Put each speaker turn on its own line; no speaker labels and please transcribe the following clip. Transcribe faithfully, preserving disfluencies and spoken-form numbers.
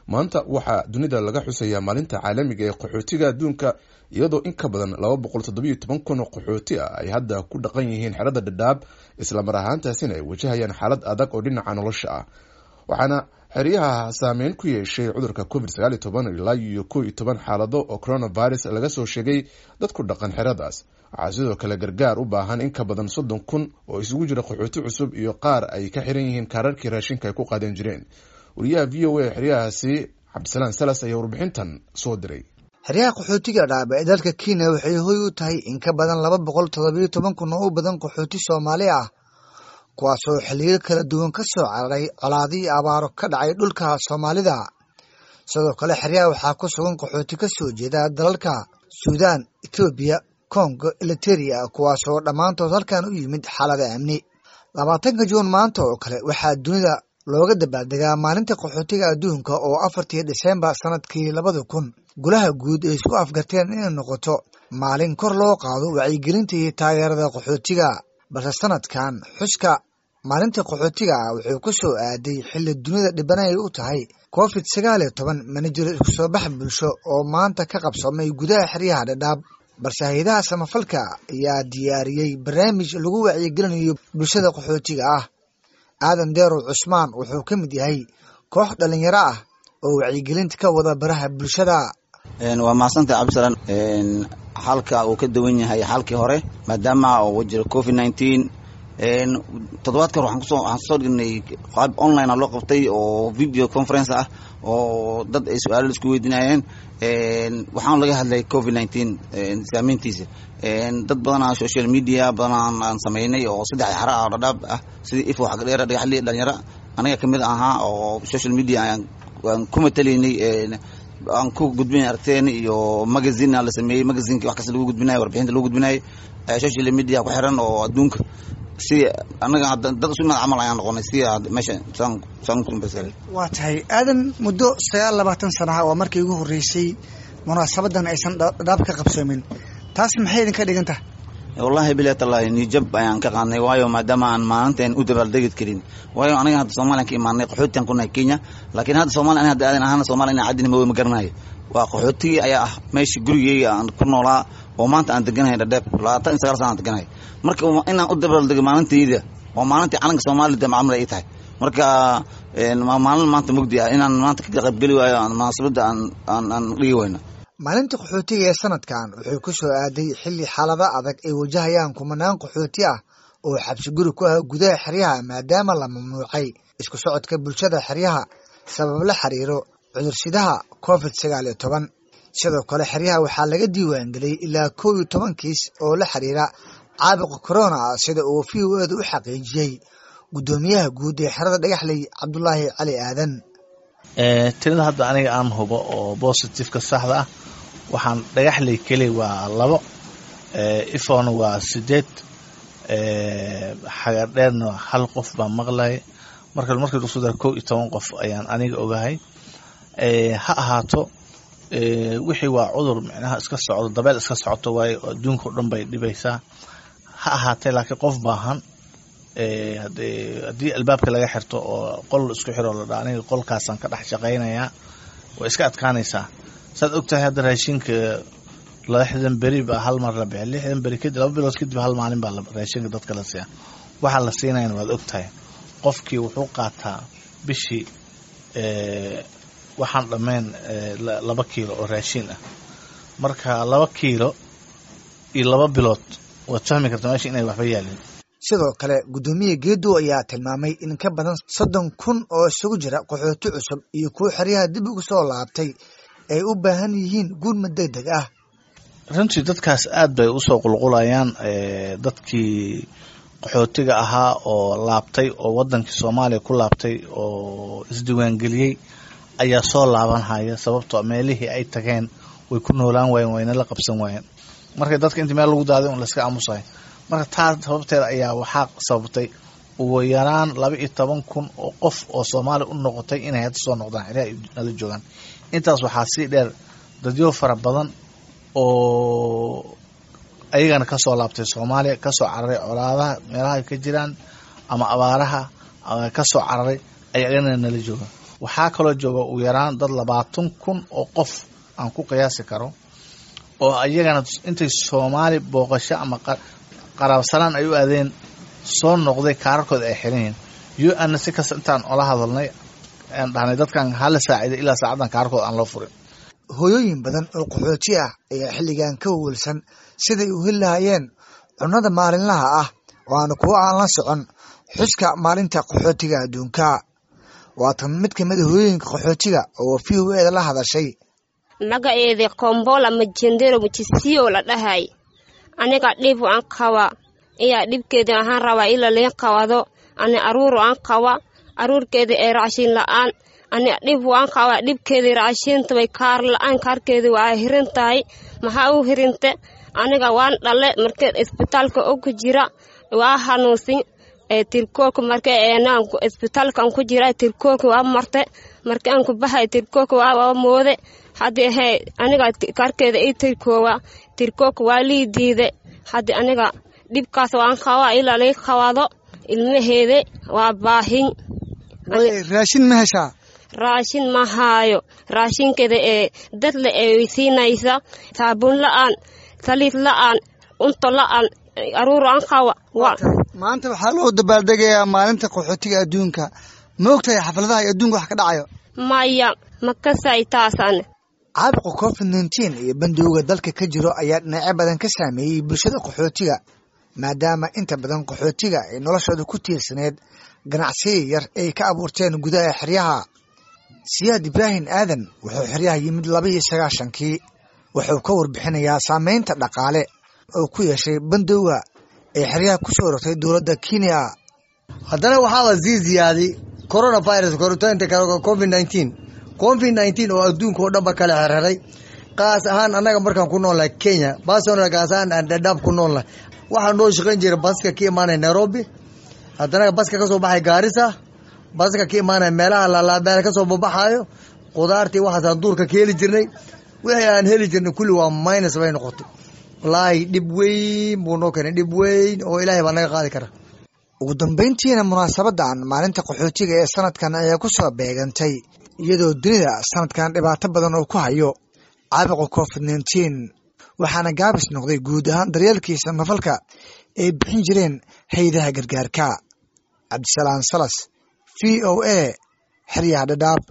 Maanta waxaa dunida laga xusayaa maalinta caalamiga ee qaxootiga adduunka, iyadoo in ka badan laba boqol toddobiyo toban kun oo qaxooti ah ay hadda ku dhaqan yihiin xerada Dhadhaab, islamar ahaantaasina ay wajahayaan xaalad adag oo dhinaca nolosha ah. Waxaana xeryaha saameyn ku yeeshay cudurka covid sagaal iyo toban, ilaa iyo kow iyo toban xaalado oo coronavirus laga soo sheegay dad ku dhaqan xeradaas. Waxaa sidoo kale gargaar u baahan in ka badan soddon kun oo isugu jira qaxooti cusub iyo qaar ay ka xiran yihiin kaararkii raashinka ay ku qaadan jireen. Wariyaha V O A xeryahaasi Cabdisalaan Salas ayaa warbixintan soo diray.
Xeryaha qaxootiga Dhadhaab ee dalka Kenya waxay hoy u tahay in ka badan laba boqol toddobiyo toban kun oo u badan qaxooti Soomaali ah, kuwaasoo xilliyo kala duwan ka soo cararay colaado iyo abaaro ka dhacay dhulka Soomaalida. Sidoo kale xeryaha waxaa ku sugan qaxooti ka soo jeeda dalalka Suudaan, Itoobiya, Kongo, Eliteria, kuwaasoo dhammaantood halkan u yimid xaalada amni. Labaatanka Juun maanta oo kale waxaa dunida looga dabaaldegaa maalinta qaxootiga adduunka, oo afartii Dhisembar sanadkii labada kun golaha guud ay isku afgarteen inay noqoto maalin kor loo qaado wacyigelinta iyo taageerada qaxootiga. Balse sanadkan xuska maalinta qaxootiga ah wuxuu ku soo aaday xilli dunida dhibanay u tahay covid sagaal iyo toban. Mana jiro isku soo bax bulsho oo maanta ka qabsoomay gudaha xeryaha Dhadhaab, balse hay-adaha samafalka ayaa diyaariyey barnaamij lagu wacyigelinayo bulshada qaxootiga ah. Aadan Deerow Cusmaan wuxuu ka mid yahay koox dhalinyaro ah oo wacyigelinta ka wada baraha bulshada.
Waa mahadsantahay, Cabdisalaan. Xalka uu ka duwan yahay xalkii hore maadaama uu jiro covid nineteen. Toddobaadka hore waxaan kusoo waxaan kusoo dhignay qaab online ah loo qabtay oo video conference ah oo dad ay su-aalo isku weydiinayeen. Waxaan laga hadlay covid nineteen saameyntiisa. Dad badanaa social media badanaa aan sameynay oo saddex xara ah oo Dhadhaab ah, sidii Ifo, Xagdheera, Dhagaxli, dhalinyaro aniga kamid ahaa oo social media aan ku matalaynay, aan ku gudbinay aragteen iyo magazine la sameeyey, magazineki wax kasta lagu gudbinayo, warbixinta lagu gudbinayo social media ku xiran oo adduunka. Si anaga dad isu imaad camal ayaan noqonay si meesha saan saan.
Waa tahay, Aadan, muddo sagaal labaatan sanaha waa markii ugu horreysay munaasabadan aysan Dhadhaab ka qabsoomin. Taas maxay idinka dhigan tahay?
Wallahi bilahi tallahi, nijab ayaan ka qaadnay, waayo maadaama aan maalinteen u dabaaldegi karin, waayo aniga hadda Soomaaliyan ka imaanay, qaxootiyan ku nahay Kenya, laakiin hadda Soomaaliya aniga hadda aadan ahaana Soomaaliya inaan caddina ma ma garanayo. Waa qaxootigii ayaa ah meesha gurigeyga aan ku noolaa oo maanta aan deganahay Dhadhaab, labaatan iyo sagaal sana aan deganahay. Marka inaan u dabaaldego maalintayda waa maalintii calanka Soomaaliya damcamla ay tahay. Marka waa maalin maanta mugdi ah inaan maanta ka qaybgeli waayo aan munaasabadda aan aan aan dhigi wayno.
Maalinta qaxootiga ee sanadkan wuxuu ku soo aaday xilli xaalado adag ay wajahayaan kumanaan qaxooti ah oo xabsi guri ku ah gudaha xeryaha, maadaama la mamnuucay isku socodka bulshada xeryaha sabab la xiriiro cudursidaha covid sagaal iyo toban. Sidoo kale xeryaha waxaa laga diiwaangeliyey ilaa kow iyo toban kiis oo la xiriira caabuqa corona, sida uu V O A da u xaqiijiyey guddoomiyaha guud ee xerada Dhagaxley, Cabdulaahi Cali Aadan.
Tirada hadda aniga aan hubo oo positiveka saxda ah waxaan Dhagaxley keli waa labo, Ifona waa sideed, Xagardheerna hal qof baa maqlay. Marka markii lagu soo daro kow iyo toban qof ayaan aniga ogahay. Ha ahaato, wixii waa cudur micnaha iska socdo, dabeel iska socoto waayo, adduunka o dhan bay dhibaysaa. Ha ahaatee, laakiin qof baahan haddii albaabka laga xirto oo qol isku xiro la dhaa aniga qolkaasaan ka dhex shaqaynayaa, way iska adkaanaysaa. Saad ogtahay, hadda raashinka lixdan beri baa hal mar la bixi, lixdan beri kadib, laba bilood kadib hal maalin baa raashinka dadka la siiya. Waxaa la siinayana waad ogtahay, qofkii wuxuu qaataa bishii waxaan dhammayn laba kiilo oo raashin ah. Marka laba kiilo iyo laba bilood waad fahmi kartaa meesha inay waxba yaalin.
Sidoo kale guddoomiye Geedow ayaa tilmaamay in ka badan soddon kun oo isugu jira qaxooti cusub iyo kuwo xeryaha dib ugu soo laabtay ay u baahan yihiin gurmad deg deg ah.
Runtii dadkaas aad bay usoo qulqulayaan. Dadkii qaxootiga ahaa oo laabtay oo wadankii Soomaaliya ku laabtay oo isdiiwaangeliyey ayaa soo laabanhaya, sababtoo meelihii ay tageen way ku noolaan waayeen, wayna la qabsan waayeen. Marka dadka intii meel lagu daaday un layska aamusayo. Marka taa sababteeda ayaa waxaa sababtay ugu yaraan laba iyo toban kun oo qof oo Soomaaliya u noqotay inay hadda soo noqdaan xeryaha nala joogaan. Intaas waxaa sii dheer dadyo fara badan oo ayagana kasoo laabtay Soomaaliya, kasoo cararay colaadaha meelaha ka jiraan ama abaaraha kasoo cararay, ayagana nala joogaan. Waxaa kaloo jooga ugu yaraan dad labaatan kun oo qof aan ku qiyaasi karo oo iyagana intay Soomaali booqasho ama qaraabsanaan ay u aadeen soo noqday, kaararkooda ay xiran yihiin. U N si kasta intaan ola hadalnay aan dhahnay dadkan hala saaciday, ilaa saacaddan kaararkooda aan loo furin.
Hooyooyin badan oo qaxooti ah ayaa xilligan ka welwelsan siday u heli lahayeen cunnada maalinlaha ah, waana kuwo aan la socon xuska maalinta qaxootiga adduunka. Waa tan mid kamid a hooyooyinka qaxootiga oo V O A da la hadashay.
Magaceeda Kombola Majendero Mujisiyo la dhahay. Aniga dhib aan qaba iya dhibkeeda ahaan rabaa ila leen qabado. Ani aruur aan qaba, aruurkeeda ee raashin la-aan. Ani dhib waan qaba dhibkeeda raashinta way kaar la-aan, kaarkeeda waa hirin tahay. Maxaa u hirinte? Aniga waan dhale, markee isbitaalka og jira waa hanuunsin ee tirkoolka, markee eenaan isbitaalkan ku jira tirkoolka waa marte, markii aan ku baxay tirkoolka waa moode. Haddi hee aniga kaarkeeda ii tirkoowa, tirkoolka waa lii diide. Haddi aniga dhibkaas waan qabaa ilaa lay qabado. Ilmaheeda waa baahin.
Raashin ma heshaa?
Raashin ma haayo. Raashinkeeda ee dadle ee siinaysa, saabuun la-aan, saliid la-aan, cunto la-aan, aruur aan qaba.
Maanta waxaa loo dabaaldegayaa maalinta qaxootiga adduunka. Ma ogtahay xafladaha iyo adduunka wax ka dhacayo?
Maya, ma kasay taasan.
Caabuqa covid nineteen iyo bandowga dalka ka jiro ayaa dhinacyo badan ka saameeyey bulshada qaxootiga, maadaama inta badan qaxootiga ay noloshooda ku tiirsaneed ganacsiya yar ay ka abuurteen gudaha xeryaha. Siyaad Ibraahim Aadan wuxuu xeryaha yimid laba iyo sagaashankii. Wuxuu ka warbixinayaa saameynta dhaqaale oo ku yeeshay bandowga ay xeryaha ku soo rogtay dowladda Kenya.
Haddana waxaa la sii ziyaaday coronavirus, koritaanka covid nineteen, covid nineteen oo adduunka oo dhanba kala xerxeray. Qaas ahaan annaga markaan ku noolnahay Kenya baasona, gaas ahaan aan Dhadhaab ku noolnahay, waxaa noo shaqayn jiray baska ka imaanaya Nairobi, haddana baska kasoo baxay Gaarisa, baska ka imaanaya meelaha lalaabeel kasoo babaxaayo qudaartii. Waxaasaan duurka ka heli jirnay. Wixii aan heli jirnay kulli waa minus bay noqotay. Wallaahi dhib weyn buu noo keenay, dhib weyn oo Ilaahay baa naga qaadi kara.
Ugu dambeyntiina, munaasabadan maalinta qaxootiga ee sanadkan ayaa ku soo beegantay iyadoo dunida sanadkan dhibaato badan oo ku hayo caabuqa covid nineteen, waxaana gaabis noqday guud ahaan daryeelkii samafalka ay bixin jireen hay'adaha gargaarka. Cabdisalaan Salas, V O A, xeryaha Dhadhaab.